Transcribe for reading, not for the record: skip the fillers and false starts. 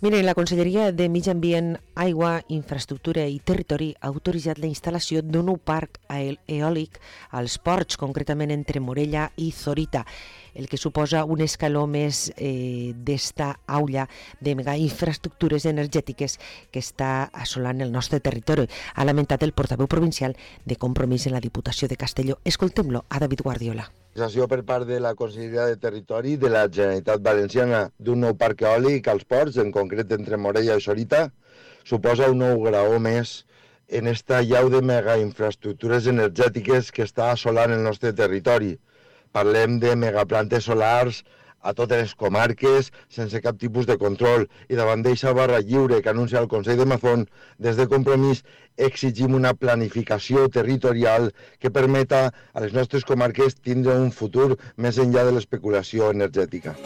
Miren, la Conselleria de Medi Ambient, Aigua, Infraestructura i Territori ha autoritzat la instal·lació d'un nou parc eòlic als ports, concretament entre Morella i Zorita, el que suposa un escaló més d'esta aula de megainfraestructures energètiques que està assolant el nostre territori. Ha lamentat el portaveu provincial de Compromís en la Diputació de Castelló. Escoltem-lo a David Guardiola. Per part de la Conselleria de Territori de la Generalitat Valenciana d'un nou parc eòlic als ports, en concret entre Morella i Zorita, suposa un nou graó més en esta llau de megainfraestructures energètiques que està assolant el nostre territori. Parlem de megaplantes solars a totes les comarques, sense cap tipus de control, i davant d'eixa barra lliure que anuncia el Consell de Mazón, des de Compromís exigim una planificació territorial que permeta a les nostres comarques tindre un futur més enllà de l'especulació energètica.